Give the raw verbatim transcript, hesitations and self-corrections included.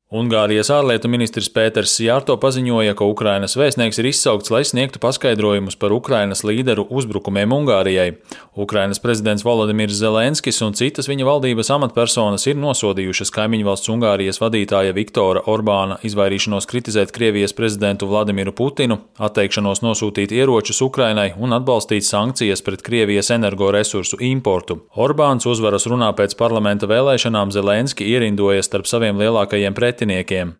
Ungārijas ārlietu ministrs Pēters Sjārto paziņoja, ka Ukrainas vēstnieks ir izsaukts, lai sniegtu paskaidrojumus par Ukrainas līderu uzbrukumiem Ungārijai. Ukrainas prezidents Volodimirs Zelenskis un citas viņa valdības amatpersonas ir nosodījušas kaimiņvalsts Ungārijas vadītāja Viktora Orbāna izvairīšanos kritizēt Krievijas prezidentu Vladimiru Putinu, atteikšanos nosūtīt ieročus Ukrainai un atbalstīt sankcijas pret Krievijas energoresursu importu. Orbāns uzvaras runā pēc parlamenta vēlēšanām Zelenski ierindojas starp saviem lielākajiem pretinieks.